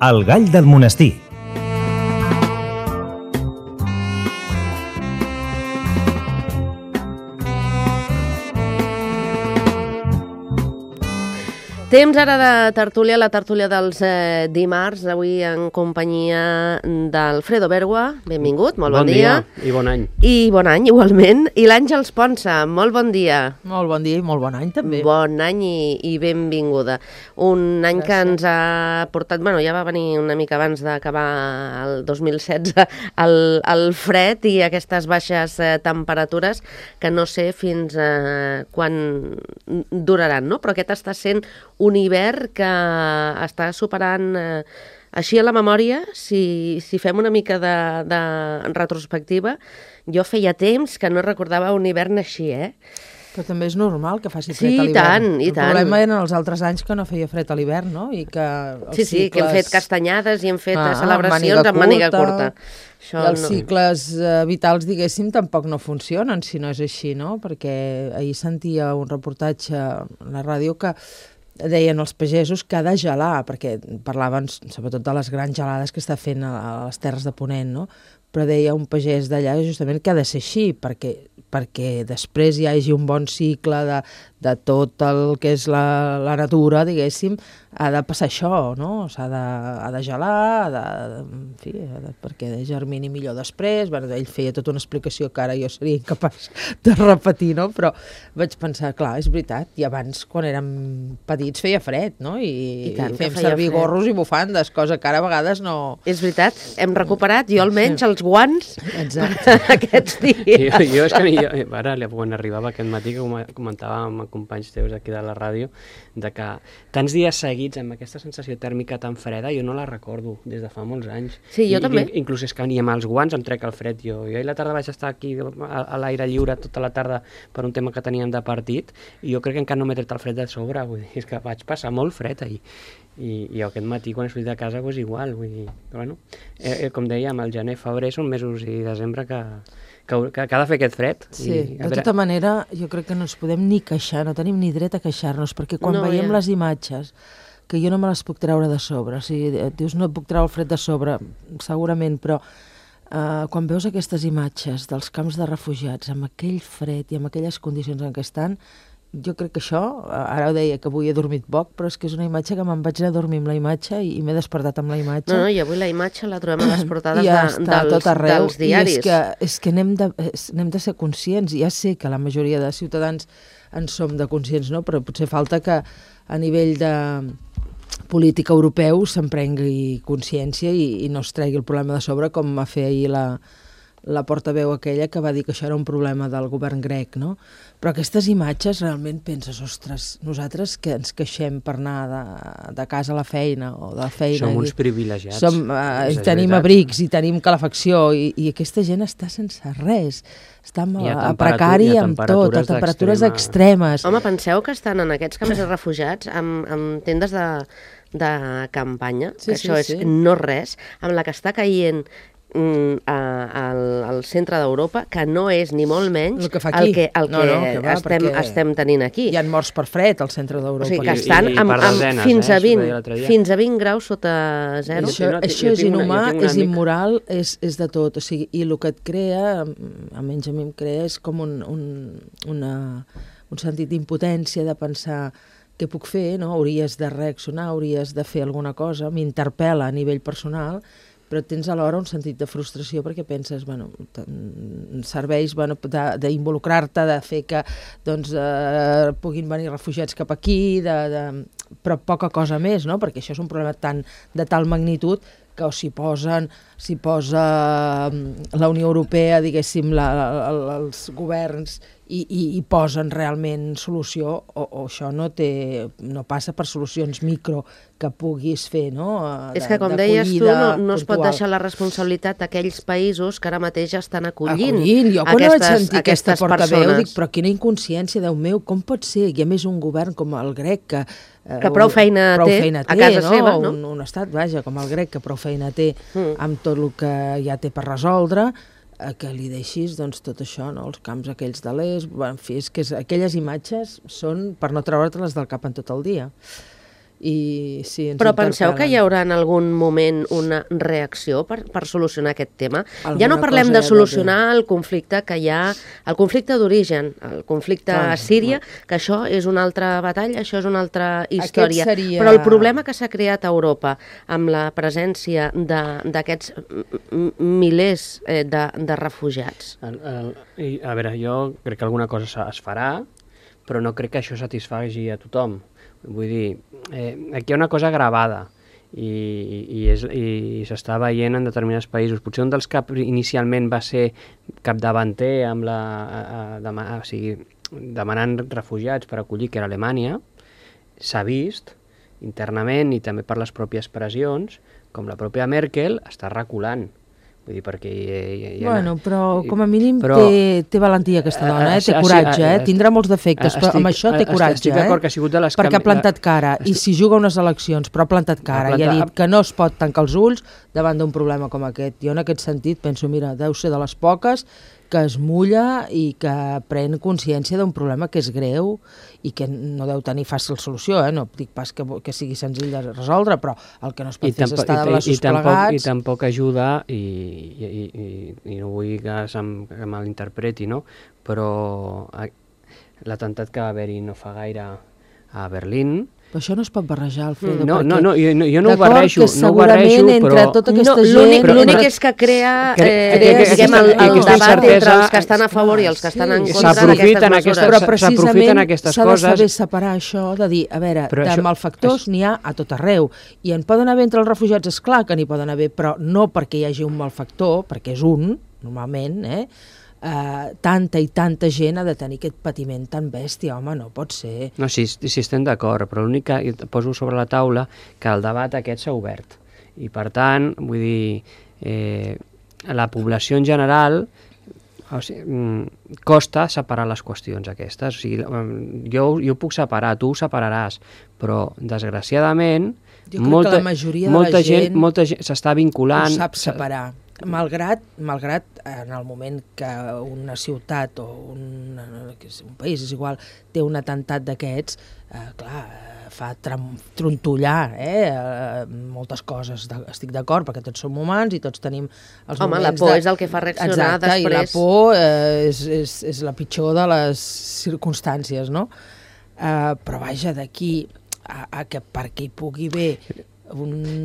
El gall del monestir. Temps ara de tertúlia, la tertúlia dels dimarts, avui en companyia d'Alfredo Bergua. Benvingut, molt bon dia. I bon any. I bon any, igualment. I l'Àngels Ponsa, molt bon dia. Molt bon dia i molt bon any, també. Bon any i benvinguda. Un any que ens ha portat, bueno, ja va venir una mica abans d'acabar el 2016, el fred i aquestes baixes temperatures que no sé fins quan duraran, no? Però aquest està sent un hivern que està superant, així a la memòria, si fem una mica de retrospectiva, jo feia temps que no recordava un hivern així, Però també és normal que faci fred a l'hivern. Sí, i tant. El problema eren els altres anys que no feia fred a l'hivern, no? I que Sí, que hem fet castanyades i hem fet celebracions amb màniga curta. I els cicles vitals, diguéssim, tampoc no funcionen si no és així, no? Perquè ahir sentia un reportatge a la ràdio que deien els pagesos que ha de gelar, perquè parlaven sobretot de les grans gelades que està fent a les terres de Ponent, no? Però deia un pagès d'allà justament que ha de ser així, perquè després hi hagi un bon cicle de tot el que és la natura, diguéssim, ha de passar això, no? Ha de gelar, perquè germini millor després. Bueno, ell feia tota una explicació que ara jo seria incapaç de repetir, no? Però vaig pensar, clar, és veritat, i abans, quan érem petits, feia fred, no? I fem servir gorros i bufandes, cosa que ara a vegades no... És veritat, hem recuperat, jo almenys, els guants aquests dies. Jo és que ara, quan arribava aquest matí, que comentava amb companys teus aquí de la ràdio, de que tants dies seguits amb aquesta sensació tèrmica tan freda, jo no la recordo des de fa molts anys. Sí, jo també. Inclús és que ni amb els guants em trec el fred. Jo ahir a la tarda vaig estar aquí a l'aire lliure tota la tarda per un tema que teníem de partit, i jo crec que encara no m'he tret el fred de sobre, vull dir, és que vaig passar molt fred ahir. I aquest matí, quan he sortit de casa, és igual. Vull dir, bueno, com dèiem, el gener, febrer són mesos i desembre que ha de fer aquest fred. Sí, de tota manera, jo crec que no ens podem ni queixar, no tenim ni dret a queixar-nos, perquè quan veiem les imatges, que jo no me les puc treure de sobre, o sigui, dius, no puc treure el fred de sobre, segurament, però quan veus aquestes imatges dels camps de refugiats, amb aquell fred i amb aquelles condicions en què estan, jo crec que això, ara ho deia que avui he dormit poc, però és que és una imatge que me'n vaig anar a dormir amb la imatge i m'he despertat amb la imatge. No, i avui la imatge la trobem a les portades dels diaris. I és que n'hem de ser conscients. Ja sé que la majoria de ciutadans en som de conscients, no? Però potser falta que a nivell de política europeu se'n prengui consciència i no es tregui el problema de sobre, com va fer ahir la portaveu aquella que va dir que això era un problema del govern grec, no? Però aquestes imatges realment penses, ostres, nosaltres que ens queixem per anar de casa a la feina o de feina... Som uns privilegiats. Tenim abrics i tenim calefacció i aquesta gent està sense res. Està a precari amb tot, a temperatures extremes. Home, penseu que estan en aquests camps de refugiats amb tendes de campanya, que això és no res, amb la que està caient al centre d'Europa, que no és ni molt menys el que estem tenint aquí. Hi ha morts per fred al centre d'Europa. O sigui, que estan fins a 20 graus sota zero. Això és inhumà, és immoral, és de tot. O sigui, i el que et crea, almenys a mi em crea, és com un sentit d'impotència, de pensar què puc fer, no? Hauries de reaccionar, hauries de fer alguna cosa, m'interpel·la a nivell personal, però tens alhora un sentit de frustració perquè penses, serveis d'involucrar-te, de fer que puguin venir refugiats cap aquí, però poca cosa més, no? Perquè això és un problema de tal magnitud que s'hi posa la Unió Europea, diguéssim, els governs, i posen realment solució, o això no passa per solucions micro que puguis fer, no? És que, com deies tu, no es pot deixar la responsabilitat d'aquells països que ara mateix estan acollint jo quan vaig sentir aquesta portaveu dic, però quina inconsciència, Déu meu, com pot ser? I a més un govern com el grec que prou feina té a casa seva, no? Un estat, vaja, com el grec, que prou feina té amb tot el que ja té per resoldre, que li deixis tot això, no? Els camps aquells de l'est, en fi, és que aquelles imatges són per no treure-te-les del cap en tot el dia. i sí, ens Però penseu que interpel·len. hi haurà en algun moment una reacció per solucionar aquest tema? Ja no Alguna parlem cosa de hi ha solucionar el conflicte que hi ha, el conflicte d'origen, el conflicte a Síria, que això és una altra batalla, això és una altra història. seria- Però el problema que s'ha creat a Europa amb la presència d'aquests milers de refugiats. A veure, jo crec que alguna cosa es farà, però no crec que això satisfagi a tothom. Vull dir, aquí hi ha una cosa gravada i s'està veient en determinats països. Potser un dels que inicialment va ser capdavanter amb demanant refugiats per acollir, que era Alemanya, s'ha vist internament i també per les pròpies pressions, com la pròpia Merkel està reculant. Vull dir, perquè Bueno, però com a mínim però, té valentia aquesta dona, té coratge, tindrà molts defectes, però amb això té coratge, estic d'acord que ha sigut de les perquè ha plantat cara, i si juga unes eleccions, però ha plantat cara, i ha dit que no es pot tancar els ulls davant d'un problema com aquest. Jo en aquest sentit penso, mira, deu ser de les poques que es mulla i que pren consciència d'un problema que és greu i que no deu tenir fàcil solució, no dic pas que sigui senzill de resoldre, però el que no es pot fer és estar de braços plegats. I tampoc ajuda, i no vull que que malinterpreti, no? Però l'atemptat que va haver-hi no fa gaire a Berlín. Però això no es pot barrejar, Alfredo. Jo no ho barrejo, entre tota aquesta gent... L'únic és que crea diguem, el debat entre els que estan a favor i els que estan en contra d'aquestes mesures. Però precisament s'ha de saber separar això, de dir, a veure, de malfactors n'hi ha a tot arreu, i en poden haver entre els refugiats, és clar que n'hi poden haver, però no perquè hi hagi un malfactor, perquè és un, normalment, tanta i tanta gent ha de tenir aquest patiment tan bèstia, home, no pot ser. No, sí estem d'acord, però l'únic que poso sobre la taula que el debat aquest s'ha obert. I per tant, vull dir, la població en general costa separar les qüestions aquestes. O sigui, jo ho puc separar, tu ho separaràs, però desgraciadament molta gent s'està vinculant. Ho sap separar. Malgrat en el moment que una ciutat o un país, és igual, té un atemptat d'aquests, clar, fa trontollar moltes coses. Estic d'acord, perquè tots som humans i tots tenim els moments... Home, la por és el que fa reaccionar després. I la por és la pitjor de les circumstàncies, no? Però vaja, d'aquí a que perquè hi pugui haver...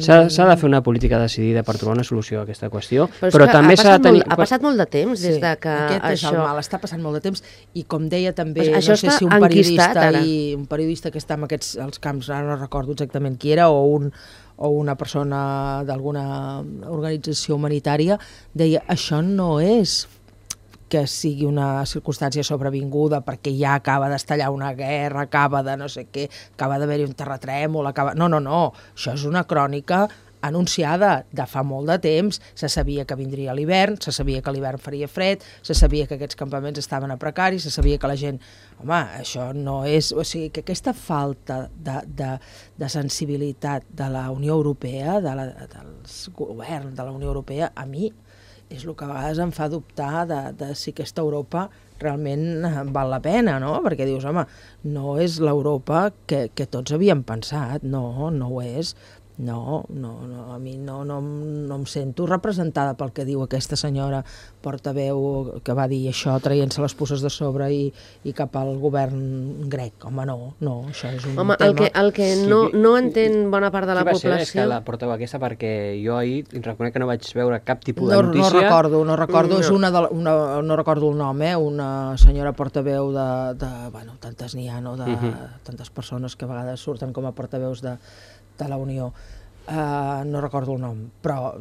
S'ha de fer una política decidida per trobar una solució a aquesta qüestió, però també s'ha de tenir... Ha passat molt de temps des de que aquest és el mal, està passant molt de temps, i com deia també, no sé si un periodista que està en els camps, ara no recordo exactament qui era, o una persona d'alguna organització humanitària, deia, això no és que sigui una circumstància sobrevinguda perquè ja acaba d'estallar una guerra, acaba de no sé què, acaba d'haver-hi un terratrèmol, No, això és una crònica anunciada de fa molt de temps. Se sabia que vindria l'hivern, se sabia que l'hivern faria fred, se sabia que aquests campaments estaven a precaris, se sabia que la gent... Home, això no és... O sigui, que aquesta falta de sensibilitat de la Unió Europea, dels governs de la Unió Europea, a mi és el que a vegades em fa dubtar de si aquesta Europa realment val la pena, no? Perquè dius, home, no és l'Europa que tots havíem pensat, no ho és. No, a mi no em sento representada pel que diu aquesta senyora portaveu que va dir això traient-se les puces de sobre i cap al govern grec. Home, no, això és un tema... El que no entén bona part de la població... Qui va ser la portaveu aquesta? Perquè jo ahir reconec que no vaig veure cap tipus de notícia. No recordo, és no recordo el nom, una senyora portaveu de tantes n'hi ha, no? De tantes persones que a vegades surten com a portaveus de la Unió. No recordo el nom, però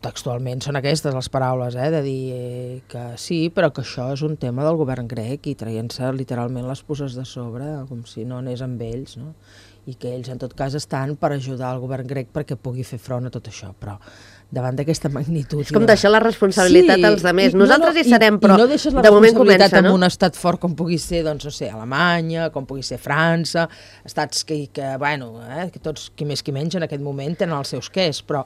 textualment són aquestes les paraules, de dir que sí, però que això és un tema del govern grec i traient-se literalment les puces de sobre, com si no anés amb ells, no? I que ells en tot cas estan per ajudar el govern grec perquè pugui fer front a tot això, però davant d'aquesta magnitud... És com deixar la responsabilitat als altres. Nosaltres hi serem, però no deixes la responsabilitat en un estat fort com pugui ser, doncs, no sé, Alemanya, com pugui ser França, estats que tots, qui més qui menys, en aquest moment tenen els seus quers, però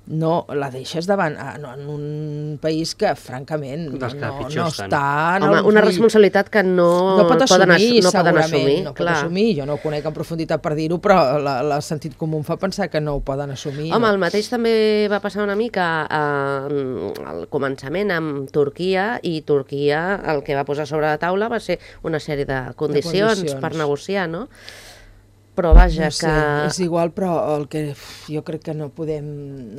no la deixes davant en un país que, francament, no està... Home, una responsabilitat que no pot assumir, segurament. No pot assumir, jo no ho conec en profunditat per dir-ho, però el sentit comú em fa pensar que no ho poden assumir. Home, el mateix també va passar una mica al començament amb Turquia, i Turquia el que va posar sobre la taula va ser una sèrie de condicions per negociar, no? Però vaja, no sé, és igual, però el que jo crec que no podem,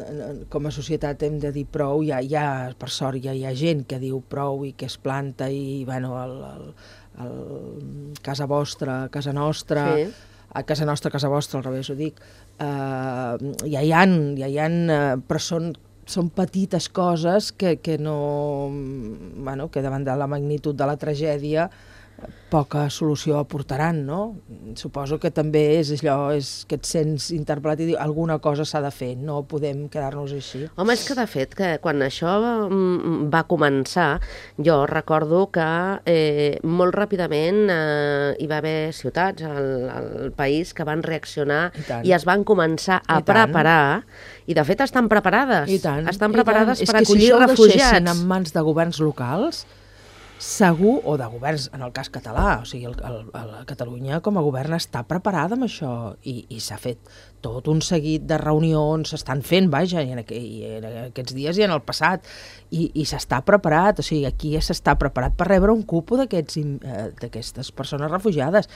com a societat hem de dir prou, per sort ja hi ha gent que diu prou i que es planta, i bueno, el casa vostra, casa nostra, sí. A casa nostra, casa vostra, al revés ho dic, ja hi ha, però són petites coses que no, bueno, que davant de la magnitud de la tragèdia poca solució aportaran, no? Suposo que també és allò, és que et sents interpel·lat i diu alguna cosa s'ha de fer, no podem quedar-nos així. Home, és que de fet, que quan això va començar, jo recordo que molt ràpidament hi va haver ciutats al país que van reaccionar i es van començar a preparar, i de fet estan preparades. Estan preparades per acollir refugiats. És que si això ho deixessin en mans de governs locals, segur, o de governs, en el cas català, o sigui, Catalunya com a govern està preparada amb això, i s'ha fet tot un seguit de reunions, s'estan fent, vaja, i en aquests dies i en el passat, i s'està preparat, o sigui, aquí s'està preparat per rebre un cupo d'aquestes persones refugiades.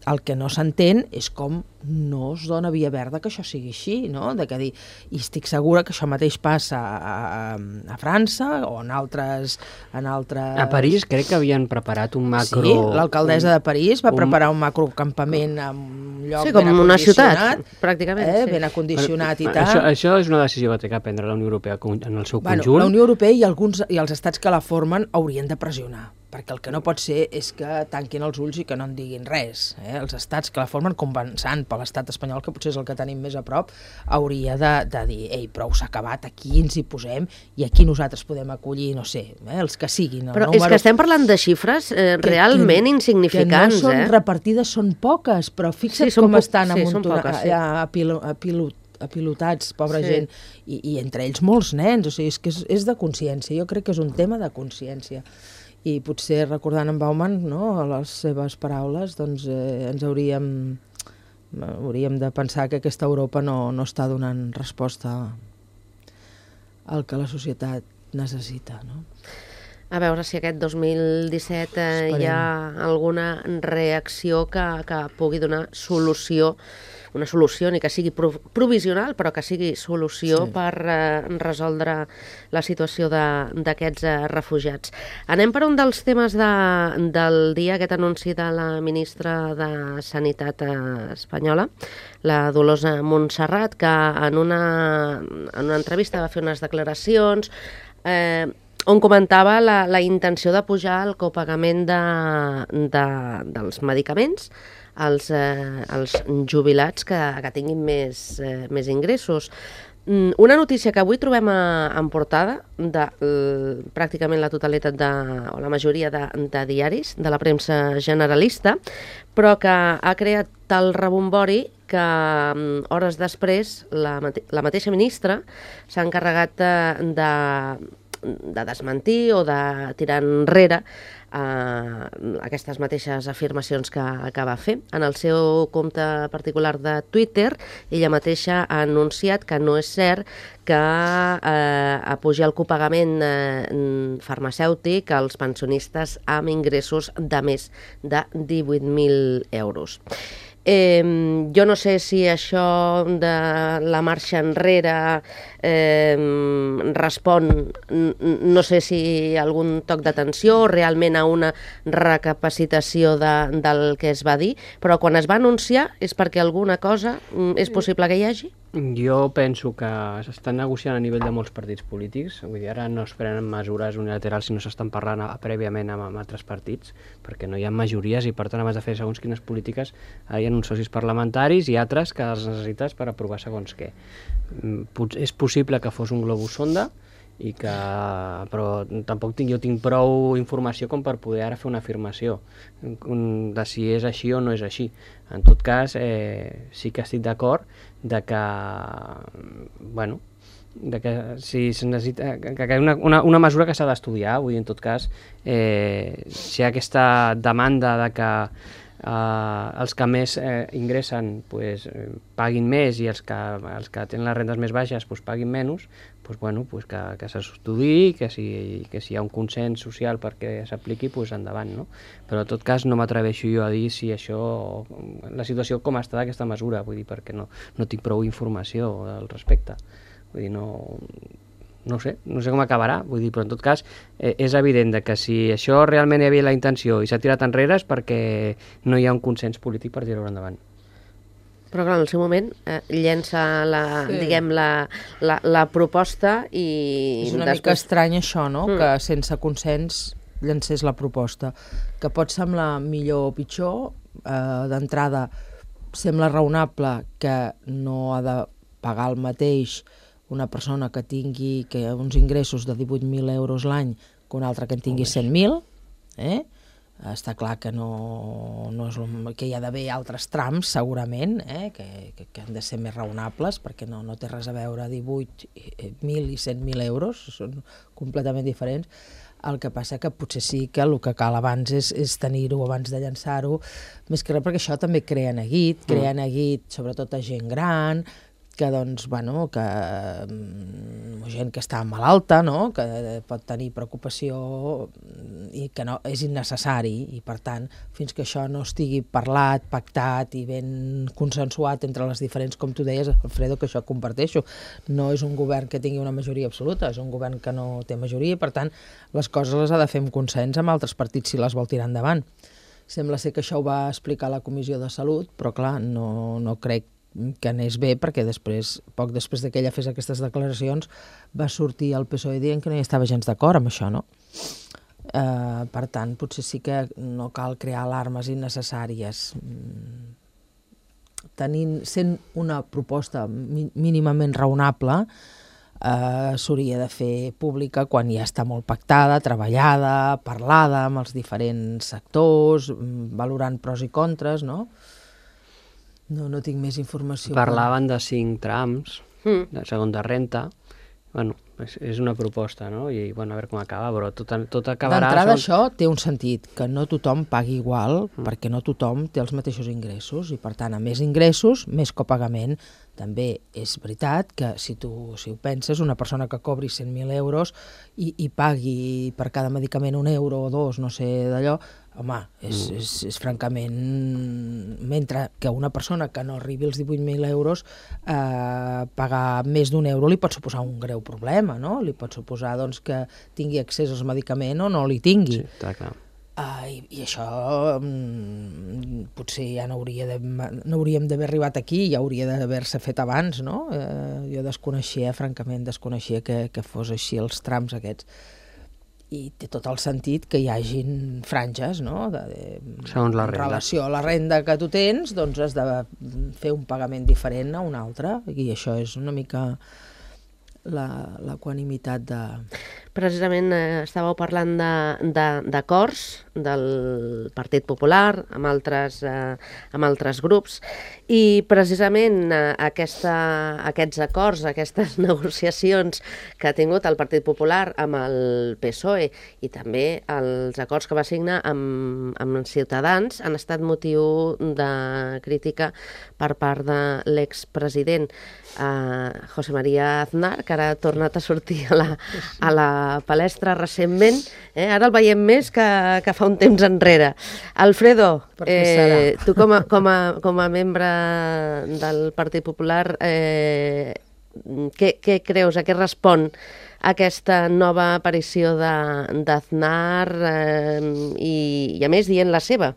El que no s'entén és com no es dona via verda que això sigui així, no? I estic segura que això mateix passa a França o en altres... A París crec que havien preparat un macro... Sí, l'alcaldessa de París va preparar un macrocampament en un lloc ben acondicionat. Sí, com una ciutat, pràcticament. Ben acondicionat i tal. Això és una decisió que té que prendre la Unió Europea en el seu conjunt. La Unió Europea i els estats que la formen haurien de pressionar, perquè el que no pot ser és que tanquin els ulls i que no en diguin res. Els estats que la formen, començant per l'estat espanyol, que potser és el que tenim més a prop, hauria de dir, ei, prou s'ha acabat, aquí ens hi posem i aquí nosaltres podem acollir, no sé, els que siguin. Però és que estem parlant de xifres realment insignificants. Que no són repartides, són poques, però fixa't com estan apilotats, pobra gent, i entre ells molts nens, o sigui, és que és de consciència, jo crec que és un tema de consciència. I potser recordant en Bauman, no, les seves paraules, doncs ens hauríem de pensar que aquesta Europa no està donant resposta al que la societat necessita, no? A veure si aquest 2017 hi ha alguna reacció que pugui donar solució, una solució ni que sigui provisional, però que sigui solució per resoldre la situació d'aquests refugiats. Anem per un dels temes del dia, aquest anunci de la ministra de Sanitat espanyola, la Dolors Montserrat, que en una entrevista va fer unes declaracions on comentava la intenció de pujar el copagament dels medicaments als jubilats que tinguin més ingressos. Una notícia que avui trobem en portada de pràcticament la totalitat o la majoria de diaris de la premsa generalista, però que ha creat tal rebombori que hores després la mateixa ministra s'ha encarregat de desmentir o de tirar enrere aquestes mateixes afirmacions que va fer. En el seu compte particular de Twitter, ella mateixa ha anunciat que no és cert que pugi el copagament farmacèutic als pensionistes amb ingressos de més de 18.000 euros. Jo no sé si això de la marxa enrere respon, no sé si algun toc d'atenció o realment a una recapacitació del que es va dir, però quan es va anunciar és perquè alguna cosa és possible que hi hagi? Jo penso que s'estan negociant a nivell de molts partits polítics, vull dir, ara no es prenen mesures unilaterals si no s'estan parlant prèviament amb altres partits, perquè no hi ha majories i per tant abans de fer segons quines polítiques hi ha uns socis parlamentaris i altres que els necessites per aprovar segons què. És possible que fos un globus sonda, però tampoc jo tinc prou informació com per poder ara fer una afirmació de si és així o no és així. En tot cas, sí que estic d'acord de que, bueno, si es necessita, que és una mesura que s'ha d'estudiar, vull dir, en tot cas, si hi ha aquesta demanda de que els que més ingressen pues, paguin més i els que tenen les rendes més baixes pues, paguin menys, pues, bueno, pues, que s'estudiï, que si hi ha un consens social perquè s'apliqui, pues, endavant, no? Però en tot cas no m'atreveixo jo a dir si això, la situació com està d'aquesta mesura, vull dir, perquè no tinc prou informació al respecte. Vull dir, no sé com acabarà, vull dir, però en tot cas és evident que si això realment hi havia la intenció i s'ha tirat enrere és perquè no hi ha un consens polític per tirar-ho endavant. Però clar, en el seu moment llença la proposta i... És una mica estrany això, no? Que sense consens llancés la proposta. Que pot semblar millor o pitjor, d'entrada sembla raonable que no ha de pagar el mateix una persona que tingui uns ingressos de 18.000 euros l'any que una altra que en tingui 100.000, està clar que no és que hi ha d'haver altres trams segurament, que han de ser més raonables perquè no té res a veure 18.000 i 100.000 euros, són completament diferents. El que passa que potser sí que el que cal abans és tenir-ho abans de llançar-ho, més que res perquè això també crea neguit sobretot a gent gran, que doncs, bueno, que gent que està malalta, no?, que pot tenir preocupació i que no és innecessari i per tant, fins que això no estigui parlat, pactat i ben consensuat entre les diferents, com tu deies, Alfredo, que això comparteixo, no és un govern que tingui una majoria absoluta, és un govern que no té majoria i per tant les coses les ha de fer amb consens amb altres partits si les vol tirar endavant. Sembla ser que això ho va explicar la Comissió de Salut, però clar, no crec que anés bé, perquè poc després que ella fes aquestes declaracions va sortir el PSOE dient que no hi estava gens d'acord amb això, no? Per tant, potser sí que no cal crear alarmes innecessàries. Sent una proposta mínimament raonable, s'hauria de fer pública quan ja està molt pactada, treballada, parlada amb els diferents sectors, valorant pros i contres, no? No tinc més informació. Parlaven de 5 trams, de segona renta. Bueno, és una proposta, no? I, bueno, a veure com acaba, però tot acabarà... D'entrada això té un sentit, que no tothom pagui igual, perquè no tothom té els mateixos ingressos, i per tant, a més ingressos, més copagament. També és veritat que si ho penses, una persona que cobri 100.000 euros i pagui per cada medicament 1 euro o 2, no sé d'allò, home, és francament... Mentre que una persona que no arribi als 18.000 euros pagar més d'1 euro li pot suposar un greu problema, no? Li pot suposar doncs, que tingui accés al medicament o no li tingui. Sí, està clar. I això potser ja no hauríem d'haver arribat aquí, ja hauria d'haver-se fet abans, no? Jo francament desconeixia que fos així els trams aquests. I té tot el sentit que hi hagin franges, no? Segons la renda. En relació a la renda que tu tens, doncs has de fer un pagament diferent a un altre, i això és una mica l'equanimitat de... Precisament estàveu parlant d'acords del Partit Popular amb altres grups i precisament aquests acords, aquestes negociacions que ha tingut el Partit Popular amb el PSOE i també els acords que va signar amb Ciutadans han estat motiu de crítica per part de l'expresident José María Aznar, que ara ha tornat a sortir a la palestra recentment, ara el veiem més que fa un temps enrere. Alfredo, tu com a membre del Partit Popular, què creus, a què respon aquesta nova aparició d'Aznar i a més dient la seva?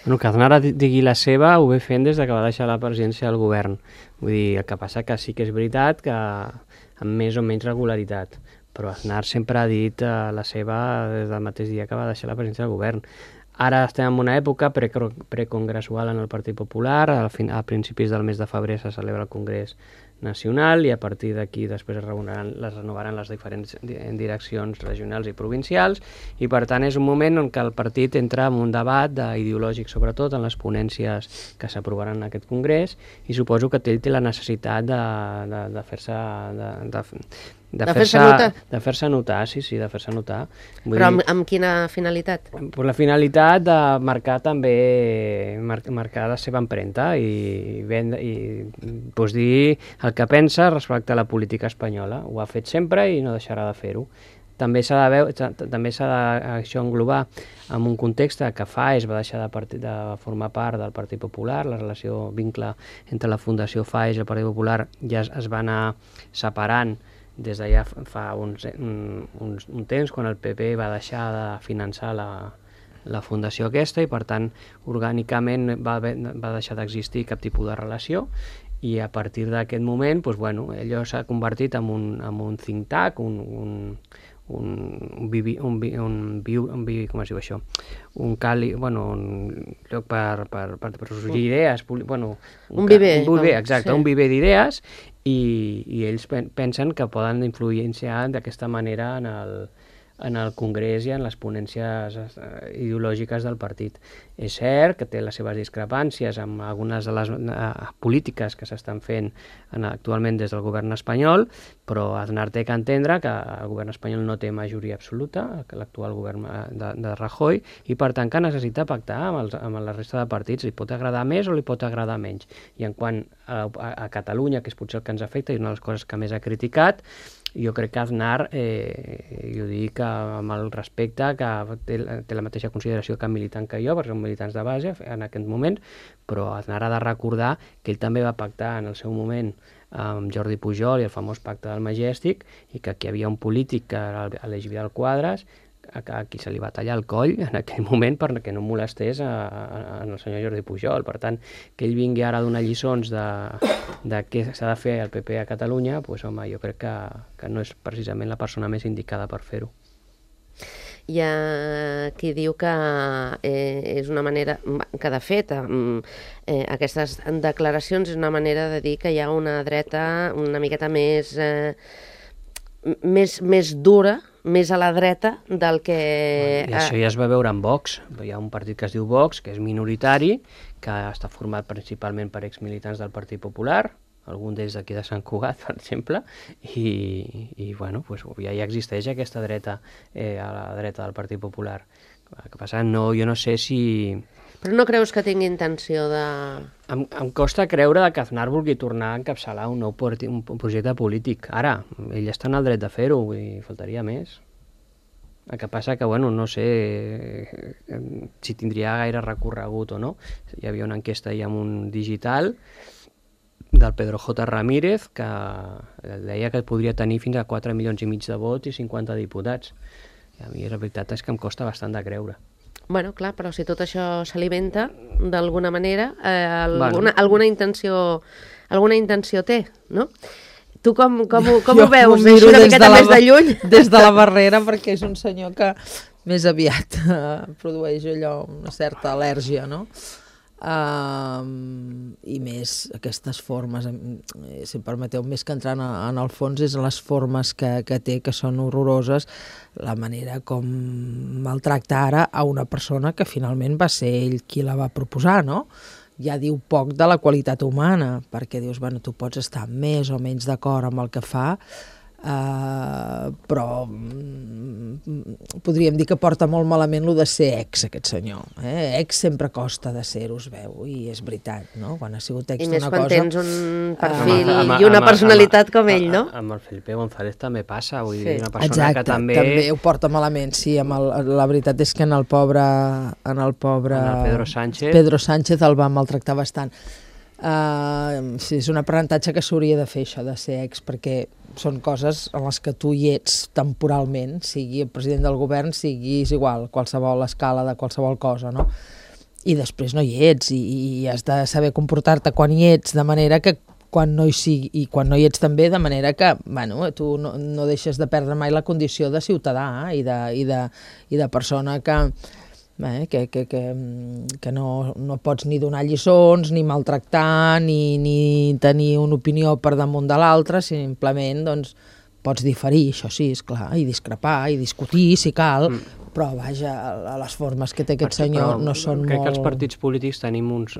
Bueno, que Aznar digui la seva ho ve fent des que va deixar la presidència del govern. Vull dir, el que passa que sí que és veritat que amb més o menys regularitat, però Aznar sempre ha dit la seva des del mateix dia que va deixar la presidència del govern. Ara estem en una època precongressual en el Partit Popular, a principis del mes de febrer se celebra el Congrés Nacional i a partir d'aquí després es renovaran les diferents direccions regionals i provincials i per tant és un moment en què el partit entra en un debat ideològic sobretot en les ponències que s'aprovaran en aquest Congrés i suposo que ell té la necessitat de fer-se notar, sí, de fer-se notar. Però amb quina finalitat? Per la finalitat de marcar també marcar la seva empremta i pues, dir el que pensa respecte a la política espanyola. Ho ha fet sempre i no deixarà de fer-ho. També s'ha d'això englobar en un context que FAES va deixar de formar part del Partit Popular, la vincle entre la Fundació FAES i el Partit Popular ja es va anar separant des de ja fa un temps, quan el PP va deixar de finançar la fundació aquesta i per tant orgànicament va deixar d'existir cap tipus de relació i a partir d'aquest moment allò s'ha convertit en un think tank, un lloc per sorgir idees, un viver, exacte, un viver d'idees i ells pensen que poden influenciar d'aquesta manera en el Congrés i en les ponències ideològiques del partit. És cert que té les seves discrepàncies amb algunes de les polítiques que s'estan fent actualment des del govern espanyol, però Aznar té que entendre que el govern espanyol no té majoria absoluta, que l'actual govern de Rajoy, i per tant que necessita pactar amb la resta de partits. Li pot agradar més o li pot agradar menys. I en quant a Catalunya, que és potser el que ens afecta i una de les coses que més ha criticat, jo crec que Aznar, i ho dic amb el respecte, que té la mateixa consideració que militant que jo, perquè són militants de base en aquest moment, però Aznar ha de recordar que ell també va pactar en el seu moment amb Jordi Pujol i el famós pacte del Majestic, i que aquí hi havia un polític, que era Aleix Vidal Quadras, a qui se li va tallar el coll en aquell moment perquè no molestés el senyor Jordi Pujol. Per tant, que ell vingui ara a donar lliçons de què s'ha de fer el PP a Catalunya, doncs home, jo crec que no és precisament la persona més indicada per fer-ho. Hi ha qui diu que és una manera, que de fet aquestes declaracions és una manera de dir que hi ha una dreta una miqueta més dura, més a la dreta del que... I això ja es va veure en Vox. Hi ha un partit que es diu Vox, que és minoritari, que està format principalment per exmilitants del Partit Popular, algun d'ells d'aquí de Sant Cugat, per exemple, i bueno, ja hi existeix aquesta dreta a la dreta del Partit Popular. El que passa, jo no sé si... Però no creus que tingui intenció de... Em costa creure que Aznar vulgui tornar a encapçalar un nou projecte polític. Ara, ell està en el dret de fer-ho, i faltaria més. El que passa que, no sé si tindria gaire recorregut o no. Hi havia una enquesta ahir amb un digital del Pedro J. Ramírez que deia que podria tenir fins a 4,5 milions de vots i 50 diputats. I a mi la veritat és que em costa bastant de creure. Bueno, clar, però si tot això s'alimenta d'alguna manera, alguna intenció té, no? Tu com ho veus? Jo una miqueta més de lluny? Des de la barrera, perquè és un senyor que més aviat produeix allò, una certa al·lèrgia, no? I més aquestes formes, si em permeteu, més que entrar en el fons, és les formes que té, que són horroroses, la manera com maltracta ara a una persona que finalment va ser ell qui la va proposar, no? Ja diu poc de la qualitat humana, perquè dius, tu pots estar més o menys d'acord amb el que fa, però podríem dir que porta molt malament lo de ser ex, aquest senyor. Ex sempre costa de ser-ho, es veu, i és veritat, no? Quan ha sigut ex d'una cosa... I més quan tens un perfil i una personalitat com ell, no? Amb el Felipe González també passa, vull dir, una persona que també ho porta malament, sí. La veritat és que en el pobre Pedro Sánchez el va maltractar bastant. Sí, és un aprenentatge que s'hauria de fer, això de ser ex, perquè són coses en les que tu hi ets temporalment, sigui el president del govern, siguis igual, qualsevol escala de qualsevol cosa, no? I després no hi ets, i has de saber comportar-te quan hi ets, de manera que quan no hi sigui, i quan no hi ets també, de manera que, tu no deixes de perdre mai la condició de ciutadà i de persona que que no pots ni donar lliçons, ni maltractar, ni tenir una opinió per damunt de l'altra, simplement doncs, pots diferir, això sí, esclar, i discrepar, i discutir, si cal, però vaja, les formes que té aquest senyor no són molt... Crec que els partits polítics tenim uns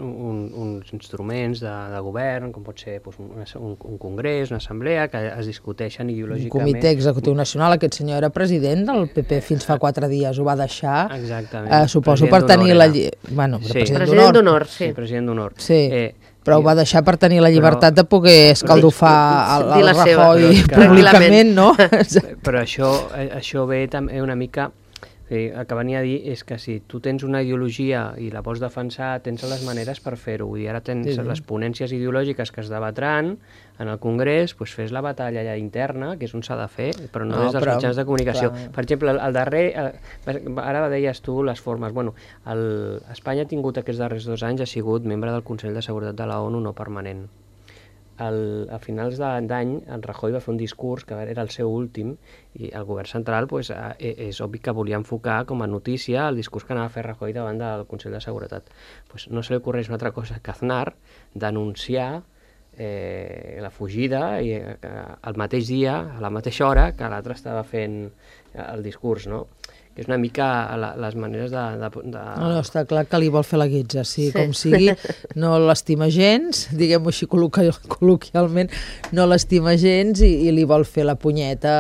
instruments de govern, com pot ser un congrés, una assemblea, que es discuteixen ideològicament. Un comitè executiu nacional, aquest senyor era president del PP fins fa 4 dies, ho va deixar, suposo per tenir la... Bueno, president d'honor, sí. President d'honor. Sí. Però ho va deixar per tenir la llibertat de poder escaldofar el Rajoy públicament, no? Però això ve també una mica... El que venia a dir és que si tu tens una ideologia i la vols defensar, tens les maneres per fer-ho. I ara tens les ponències ideològiques que es debatran en el Congrés, doncs fes la batalla allà interna, que és on s'ha de fer, però no des dels mitjans de comunicació. Clar. Per exemple, el darrer, ara deies tu les formes, bueno, Espanya ha tingut aquests darrers 2 anys, ha sigut membre del Consell de Seguretat de la ONU no permanent. A finals d'any, en Rajoy va fer un discurs que era el seu últim, i el govern central és obvi que volia enfocar com a notícia el discurs que anava a fer Rajoy davant del Consell de Seguretat. No se li ocorreix una altra cosa que Aznar denunciar la fugida i el mateix dia, a la mateixa hora que l'altre estava fent el discurs, no? Que és una mica les maneres de... No, està clar que li vol fer la guitza, sí. Com sigui, no l'estima gens, diguem-ho així col·loquialment, no l'estima gens i li vol fer la punyeta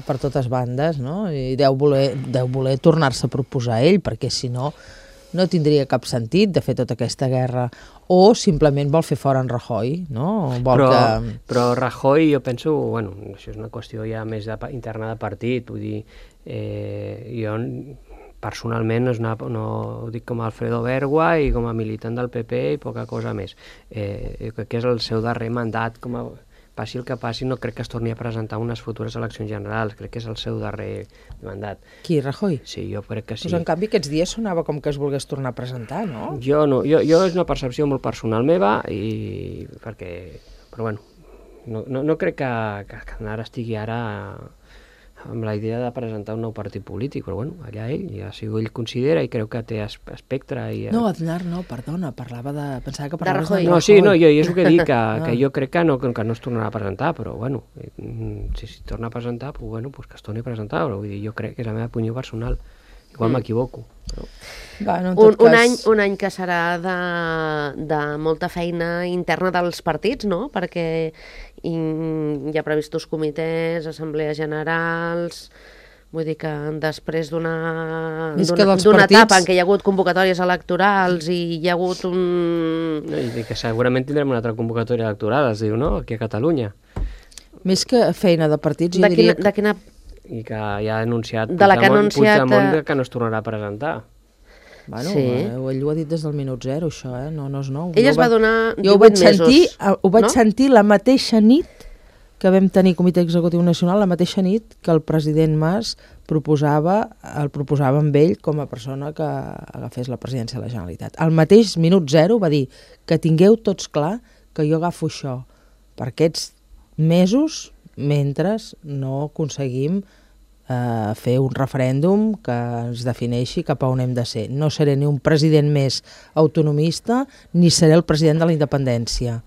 per totes bandes, no? I deu voler tornar-se a proposar ell, perquè si no tindria cap sentit de fer tota aquesta guerra, o simplement vol fer fora en Rajoy, no? Però Rajoy, jo penso, bueno, això és una qüestió ja més interna de partit, vull dir, jo personalment no ho dic com a Alfredo Bergua i com a militant del PP i poca cosa més. Crec que és el seu darrer mandat, passi el que passi, no crec que es torni a presentar unes futures eleccions generals, crec que és el seu darrer mandat. Qui, Rajoy? Sí, jo crec que sí. Doncs en canvi aquests dies sonava com que es volgués tornar a presentar, no? Jo no, jo és una percepció molt personal meva, però bueno, no crec que Aznar estigui ara amb la idea de presentar un nou partit polític, però bueno, allà ja si ell considera i creu que té espectre... No, Aznar no, perdona, pensava que parlaves de Rajoy. No, sí, jo és el que dic, que jo crec que no es tornarà a presentar, però bueno, si es torna a presentar, que es torni a presentar, però vull dir, jo crec que és la meva opinió personal, igual m'equivoco. Però... Un any que serà de molta feina interna dels partits, no? Perquè hi ha previstos comitès, assemblees generals... Vull dir que després d'una etapa en què hi ha hagut convocatòries electorals i hi ha hagut un... I que segurament tindrem una altra convocatòria electoral, es diu, no?, aquí a Catalunya. Més que feina de partits, jo diria... De quina... I que ja ha anunciat Puigdemont que no es tornarà a presentar. Bueno, sí. Ell ho ha dit des del minut 0, això, no és nou. Ell es va donar 18 mesos. Ho vaig sentir la mateixa nit que vam tenir Comitè Executiu Nacional, la mateixa nit que el president Mas el proposava amb ell com a persona que agafés la presidència de la Generalitat. Al mateix minut 0 va dir que tingueu tots clar que jo agafo això per aquests mesos mentre no aconseguim fer un referèndum que ens defineixi cap a on hem de ser. No seré ni un president més autonomista ni seré el president de la independència.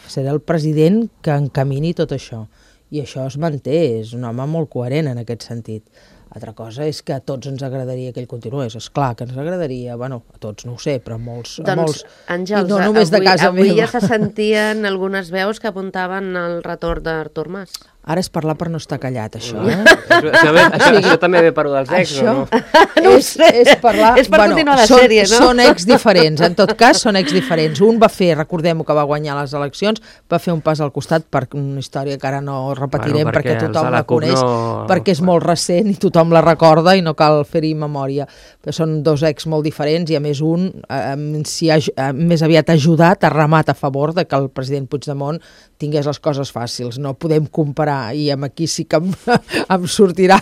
Seré el president que encamini tot això. I això es manté, és un home molt coherent en aquest sentit. Altra cosa és que a tots ens agradaria que ell continués. És clar que ens agradaria, bueno, a tots no ho sé, però a molts... Doncs, Àngels, no només de casa avui meva. Ja se sentien algunes veus que apuntaven al retorn d'Artur Mas. Ara és parlar per no estar callat, això, Això també ve per dels ex, o no? No ho sé. És parlar... És per continuar la sèrie, no? Són ex diferents, en tot cas són ex diferents. Un va fer, recordem-ho, que va guanyar les eleccions, va fer un pas al costat per una història que ara no repetirem perquè tothom la coneix, perquè és molt recent i tothom la recorda i no cal fer-hi memòria. Però són dos ex molt diferents i a més un s'hi ha més aviat ajudat, ha remat a favor de que el president Puigdemont tingués les coses fàcils. No podem comparar i aquí sí que em sortirà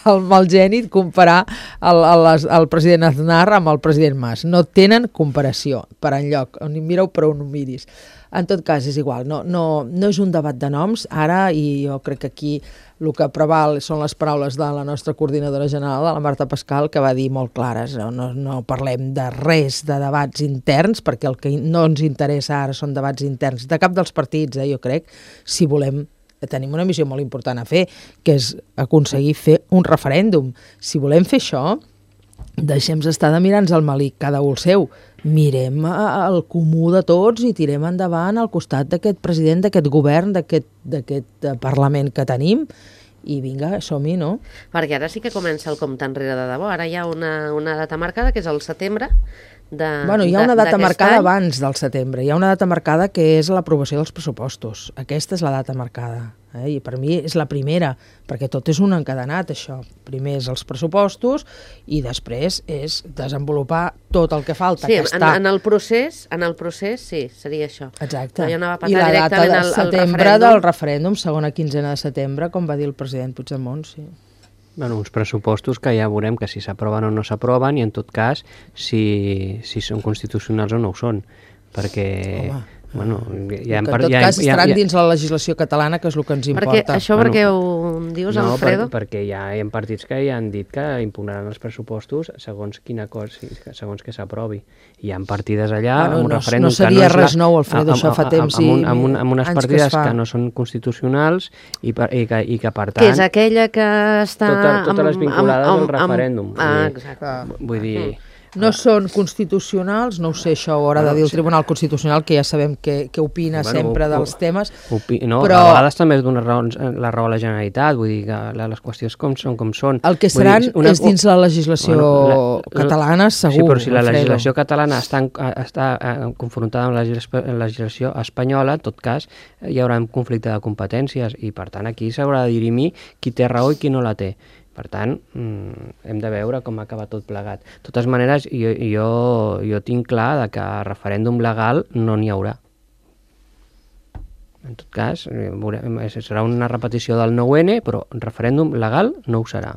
el Malgeni comparar el president Aznar amb el president Mas. No tenen comparació per enlloc. On mireu per on ho miris. En tot cas, és igual. No és un debat de noms ara, i jo crec que aquí el que preval són les paraules de la nostra coordinadora general, de la Marta Pascal, que va dir molt clares. No parlem de res de debats interns, perquè el que no ens interessa ara són debats interns de cap dels partits, jo crec, si volem. Tenim una missió molt important a fer, que és aconseguir fer un referèndum. Si volem fer això, deixem estar de mirar-nos el malic, cada un el seu. Mirem el comú de tots i tirem endavant al costat d'aquest president, d'aquest govern, d'aquest Parlament que tenim, i vinga, som-hi, no? Perquè ara sí que comença el compte enrere de debò. Ara hi ha una data marcada, que és el setembre hi ha una data marcada abans del setembre. Hi ha una data marcada que és l'aprovació dels pressupostos. Aquesta és la data marcada. I per mi és la primera, perquè tot és un encadenat, això. Primer és els pressupostos i després és desenvolupar tot el que falta. Sí, en el procés sí, seria això. Exacte. I la data de setembre del referèndum, segona quinzena de setembre, com va dir el president Puigdemont, sí. Bueno, uns pressupostos que ja veurem que si s'aproven o no s'aproven, i en tot cas si són constitucionals o no ho són, perquè... Home, en tot cas estaran dins la legislació catalana, que és el que ens importa. Perquè ho dius, Alfredo? Perquè hi ha partits que ja han dit que impugnaran els pressupostos segons quina cosa, segons que s'aprovi. Hi ha partides allà amb un referèndum no seria res nou, Alfredo, això fa temps amb unes partides que no són constitucionals i que per tant... Que és aquella que està... Totes les vinculades al referèndum. Exacte. Vull dir... No són constitucionals, no ho sé, això ho haurà de dir el Tribunal Constitucional, que ja sabem què opina sempre dels temes. Però... A vegades també es dona la raó a la Generalitat, vull dir que les qüestions són com són. El que seran és dins la legislació catalana, segur. Sí, però si la legislació catalana està confrontada amb la legislació espanyola, en tot cas hi haurà un conflicte de competències i per tant aquí s'haurà de dirimir qui té raó i qui no la té. Per tant, hem de veure com acaba tot plegat. De totes maneres, jo tinc clar que referèndum legal no n'hi haurà. En tot cas, serà una repetició del 9N, però referèndum legal no ho serà.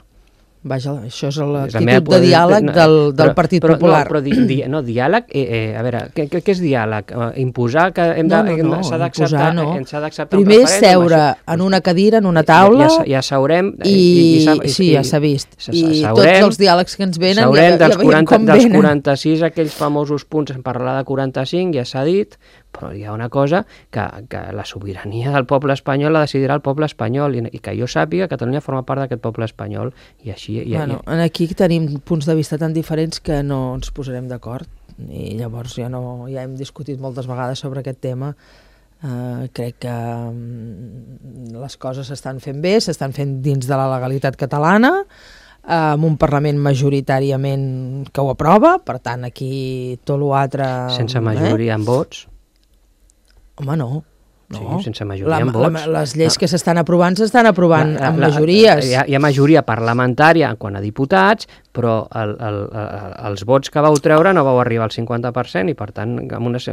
Vaja, això és l'actitud de diàleg del Partit Popular. Però diàleg, a veure, què és diàleg? Imposar que s'ha d'acceptar un referèndum? Primer és seure en una cadira, en una taula, ja seurem... Sí, ja s'ha vist. I tots els diàlegs que ens venen, ja veiem com venen. Dels 46, aquells famosos punts, en parlar de 45, ja s'ha dit, però hi ha una cosa que la sobirania del poble espanyol la decidirà el poble espanyol i que jo sàpiga, Catalunya forma part d'aquest poble espanyol i així... Aquí tenim punts de vista tan diferents que no ens posarem d'acord i llavors ja hem discutit moltes vegades sobre aquest tema. Crec que les coses s'estan fent bé, s'estan fent dins de la legalitat catalana, amb un Parlament majoritàriament que ho aprova, per tant aquí tot l'altre... Sense majoria en vots? Home, no. Sí, sense majoria en vots. Les lleis que s'estan aprovant amb majories. Hi ha majoria parlamentària en quant a diputats, però els vots que vau treure no vau arribar al 50% i per tant amb unes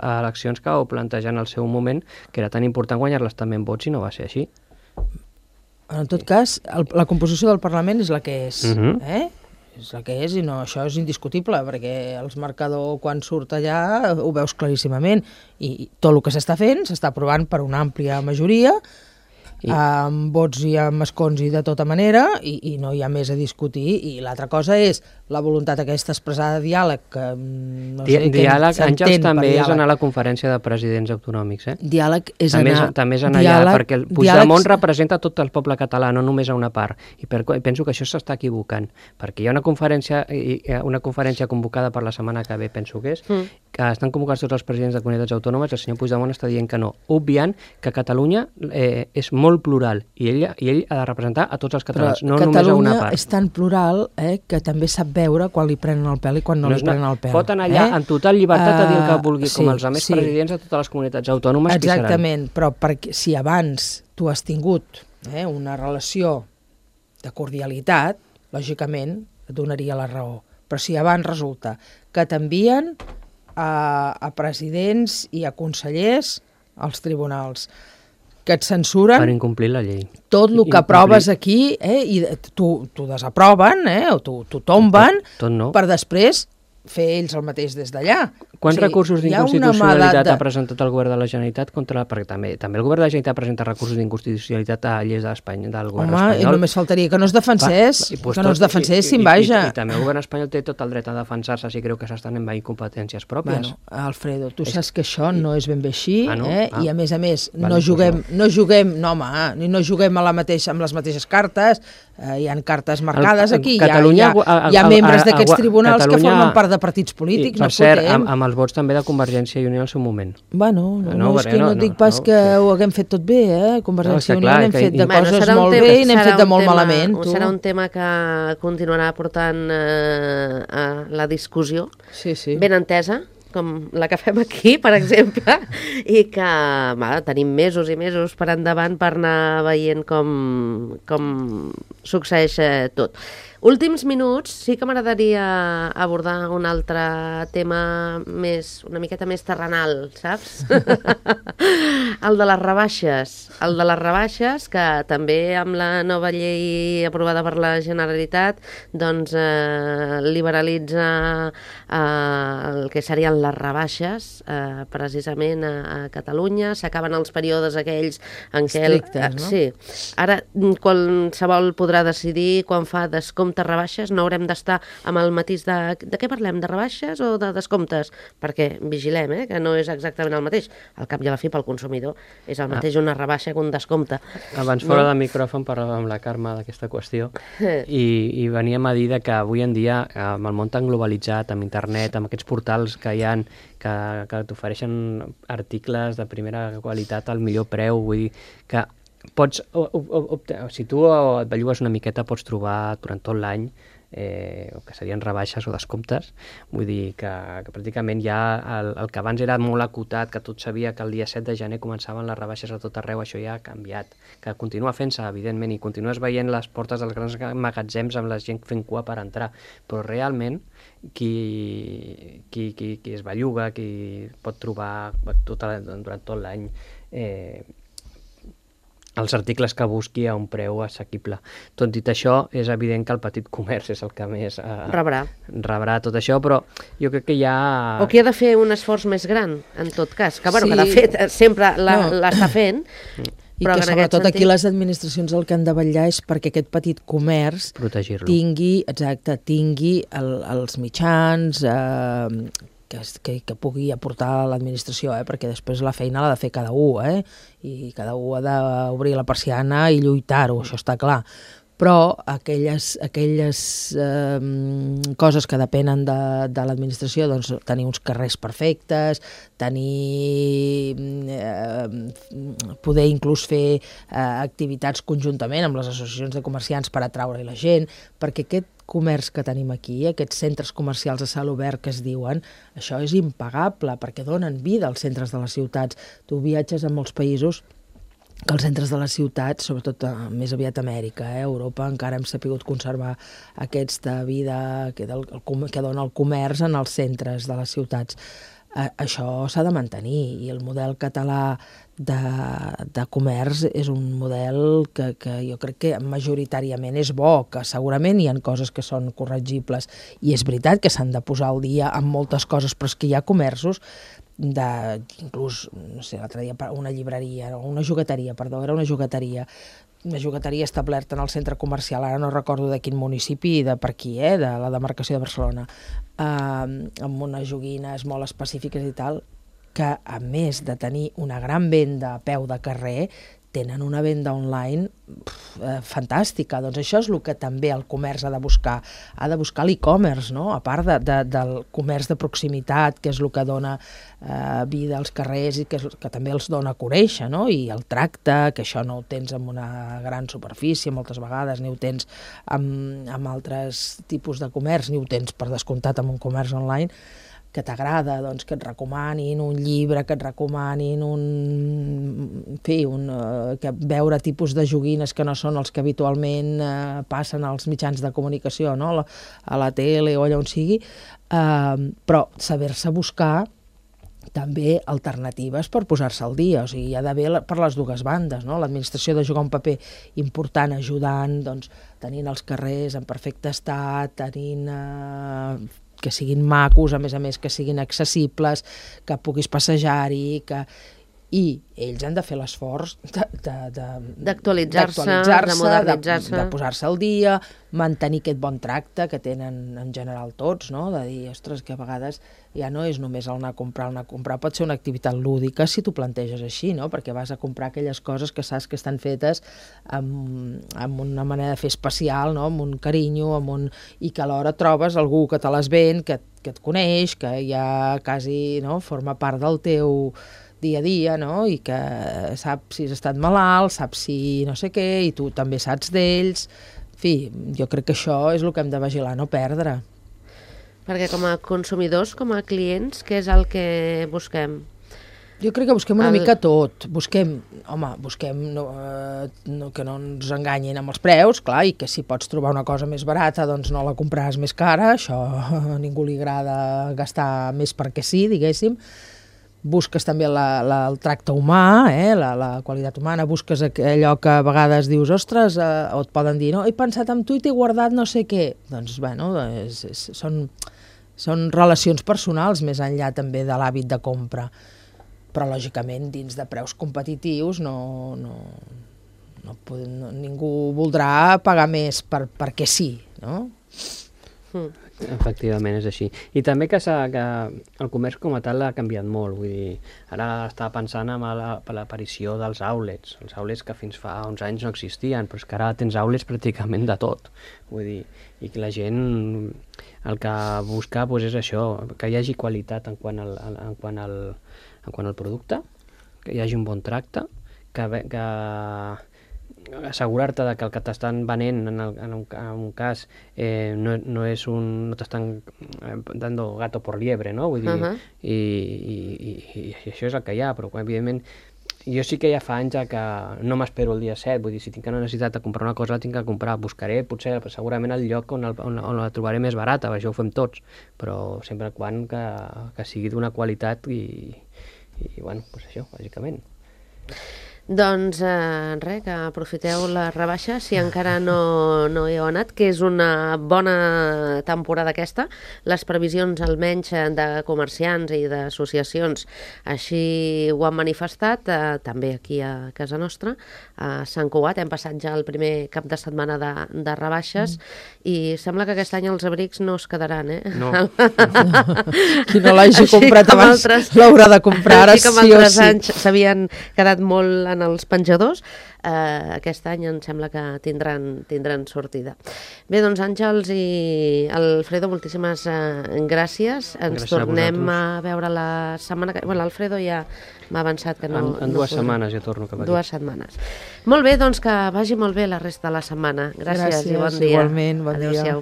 eleccions que vau plantejar en el seu moment que era tan important guanyar-les també en vots i no va ser així. En tot cas, la composició del Parlament és la que és, és la que és i això és indiscutible perquè els marcadors quan surt allà ho veus claríssimament i tot el que s'està fent s'està aprovant per una àmplia majoria amb vots i amb escons i de tota manera i no hi ha més a discutir i l'altra cosa és la voluntat aquesta expressada de diàleg que no sé diàleg, Àngels, també és anar a la conferència de presidents autonòmics, Diàleg és anar... També és anar allà, perquè el Puigdemont representa tot el poble català, no només a una part, i penso que això s'està equivocant, perquè hi ha una conferència convocada per la setmana que ve, penso que és, que estan convocats tots els presidents de comunitats autònomes, el senyor Puigdemont està dient que no, obviant que Catalunya és molt plural i ell ha de representar a tots els catalans, no només a una part. Catalunya és tan plural que també sap veure quan li prenen el pèl i quan no li prenen el pèl. Pot anar allà en total llibertat a dir el que vulgui, com els altres presidents de totes les comunitats autònomes que seran. Exactament, però si abans tu has tingut una relació de cordialitat, lògicament et donaria la raó. Però si abans resulta que t'envien a presidents i a consellers als tribunals, que et censuren Per incomplir la llei. tot el que aproves aquí, i t'ho desaproven, o t'ho tomben, Tot no. per després fer ells el mateix des d'allà. Quants recursos hi ha una d'inconstitucionalitat mà ha presentat el govern de la Generalitat contra... Perquè també el govern de la Generalitat presenta recursos d'inconstitucionalitat a lleis d'Espanya, del govern espanyol. I només faltaria que no es defensés, que vaja. I també el govern espanyol té tot el dret a defensar-se si creu que s'estan envaint competències pròpies. Bueno, Alfredo, tu saps que això no és ben bé així, no? I a més, no juguem amb les mateixes cartes, hi ha cartes marcades aquí, hi ha membres d'aquests tribunals que formen part de partits polítics, no podem. Per cert, amb els vots també de Convergència i Unió al seu moment. Bueno, és que no dic pas que ho haguem fet tot bé, Convergència i Unió n'hem fet de coses molt bé i n'hem fet de molt malament. Serà un tema que continuarà portant a la discussió, ben entesa, com la que fem aquí, per exemple, i que tenim mesos i mesos per endavant per anar veient com succeeix tot. Últims minuts, sí que m'agradaria abordar un altre tema una miqueta més terrenal, saps? El de les rebaixes. El de les rebaixes, que també amb la nova llei aprovada per la Generalitat, doncs liberalitza el que serien les rebaixes, precisament a Catalunya. S'acaben els períodes aquells en què... Estrictes, no? Sí. Ara qualsevol podrà decidir quan fa descompte rebaixes, no haurem d'estar amb el matís de què parlem, de rebaixes o de descomptes? Perquè vigilem, que no és exactament el mateix. Al cap i a la fi, pel consumidor, és el mateix una rebaixa que un descompte. Abans fora del micròfon parlàvem amb la Carme d'aquesta qüestió i veníem a dir que avui en dia, amb el món tan globalitzat, amb internet, amb aquests portals que hi ha, que t'ofereixen articles de primera qualitat al millor preu, vull dir que pots, si tu et bellugues una miqueta, pots trobar durant tot l'any que serien rebaixes o descomptes. Vull dir que pràcticament ja el que abans era molt acotat, que tot sabia que el dia 7 de gener començaven les rebaixes a tot arreu, això ja ha canviat. Que continua fent-se, evidentment, i continues veient les portes dels grans magatzems amb la gent fent cua per entrar. Però realment, qui es belluga, qui pot trobar durant tot l'any els articles que busqui a un preu assequible. Tot dit això, és evident que el petit comerç és el que més rebrà tot això, però jo crec que ja... O que ha de fer un esforç més gran, en tot cas, que que de fet sempre l'està fent, i que sobretot aquí les administracions el que han de vetllar és perquè aquest petit comerç tingui els mitjans que pugui aportar l'administració, perquè després la feina l'ha de fer cada un, i cada un ha d'obrir la persiana i lluitar-ho, això està clar. Però aquelles coses que depenen de l'administració, doncs tenir uns carrers perfectes, poder inclús fer activitats conjuntament amb les associacions de comerciants per atraure la gent, perquè aquest comerç que tenim aquí, aquests centres comercials a cel obert que es diuen, això és impagable, perquè donen vida als centres de les ciutats. Tu viatges a molts països que els centres de les ciutats, sobretot més aviat a Amèrica, Europa, encara hem sapigut conservar aquesta vida que dona el comerç en els centres de les ciutats. Això s'ha de mantenir, i el model català de comerç és un model que jo crec que majoritàriament és bo, que segurament hi ha coses que són corregibles, i és veritat que s'han de posar al dia amb moltes coses, però és que hi ha comerços inclús, no sé, l'altre dia una jugueteria establerta en el centre comercial, ara no recordo de quin municipi, de per aquí, de la demarcació de Barcelona, amb unes joguines molt específiques i tal, que a més de tenir una gran venda a peu de carrer, tenen una venda online fantàstica. Doncs això és el que també el comerç ha de buscar l'e-commerce, no? A part del comerç de proximitat, que és el que dona vida als carrers i que també els dona a conèixer, no? I el tracte, que això no ho tens en una gran superfície moltes vegades, ni ho tens amb altres tipus de comerç, ni ho tens per descomptat amb un comerç online, que t'agrada, doncs, que et recomanin un llibre, que et recomanin que veure tipus de joguines que no són els que habitualment passen als mitjans de comunicació, no? A la tele o allà on sigui, però saber-se buscar també alternatives per posar-se al dia, o sigui, hi ha d'haver per les dues bandes, no? L'administració ha de jugar un paper important ajudant, doncs, tenint els carrers en perfecte estat, tenint que siguin macos, a més, que siguin accessibles, que puguis passejar-hi, i ells han de fer l'esforç d'actualitzar-se, de modernitzar-se, de posar-se al dia, mantenir aquest bon tracte que tenen en general tots, no? De dir, ostres, que a vegades ja no és només el anar a comprar, pot ser una activitat lúdica si t'ho planteges així, no? Perquè vas a comprar aquelles coses que saps que estan fetes amb una manera de fer especial, no? Amb un carinyo, i que alhora trobes algú que te les ven, que et coneix, que ja quasi, no? Forma part del teu dia a dia, no? I que sap si has estat malalt, sap si no sé què, i tu també saps d'ells. En fi, jo crec que això és el que hem de vigilar, no perdre. Perquè com a consumidors, com a clients, què és el que busquem? Jo crec que busquem una mica tot. Busquem que no ens enganyin amb els preus, clar, i que si pots trobar una cosa més barata, doncs no la compraràs més cara, això a ningú li agrada gastar més perquè sí, diguéssim. Busques també el tracte humà, la qualitat humana, busques allò que a vegades dius, ostres, o et poden dir, no, he pensat en tu i t'he guardat no sé què. Doncs, bueno, són relacions personals més enllà també de l'hàbit de compra. Però, lògicament, dins de preus competitius ningú voldrà pagar més perquè sí, no? Efectivament, és així. I també que el comerç com a tal ha canviat molt. Vull dir, ara estava pensant en l'aparició dels outlets. Els outlets que fins fa uns anys no existien, però és que ara tens outlets pràcticament de tot. Vull dir, i que la gent el que busca és això, que hi hagi qualitat en quant al producte, que hi hagi un bon tracte, que assegurar-te que el que t'estan venent en un cas no t'estan dando gato por liebre, no? Vull dir, i això és el que hi ha, però evidentment jo sí que ja fa anys que no m'espero el dia 7, vull dir, si tinc una necessitat de comprar una cosa la tinc que comprar, buscaré potser segurament el lloc on la trobaré més barata, això ho fem tots, però sempre quan que sigui d'una qualitat i bueno, doncs això, bàsicament. Doncs res, que aprofiteu la rebaixa si encara no hi heu anat, que és una bona temporada aquesta. Les previsions almenys de comerciants i d'associacions així ho han manifestat, també aquí a casa nostra, a Sant Cugat. Hem passat ja el primer cap de setmana de rebaixes i sembla que aquest any els abrics no es quedaran, No. Qui no l'hagi comprat abans l'haurà de comprar ara sí o sí. Així com altres anys s'havien quedat molt en els penjadors, aquest any em sembla que tindran sortida. Bé, doncs Àngels i Alfredo, moltíssimes gràcies. Ens tornem a veure la setmana que... Bueno, l'Alfredo ja m'ha avançat que no... En 2 setmanes ja torno cap aquí. 2 setmanes. Molt bé, doncs que vagi molt bé la resta de la setmana. Gràcies i bon dia. Igualment, bon dia. Adéu-siau.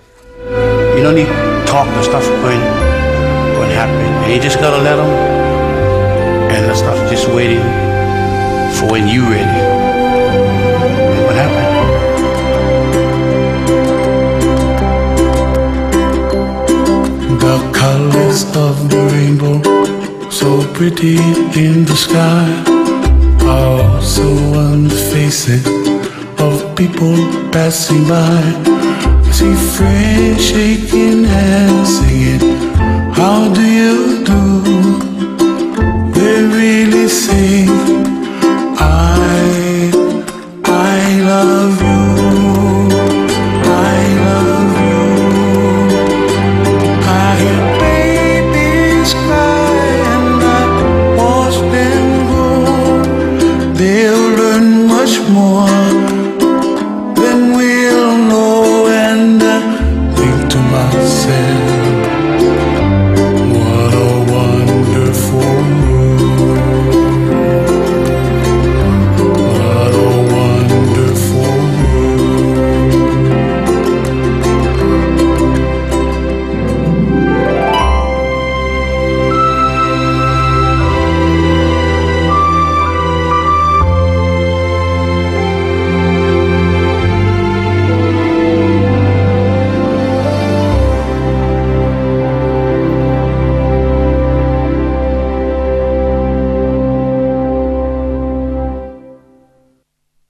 You don't need to talk the stuff when happening. And you just gotta let them, and the stuff just waiting for when you ready. And what happened? The colors of the rainbow, so pretty in the sky, are also on the faces of people passing by. I see friends shaking hands, singing, how do you do? They really say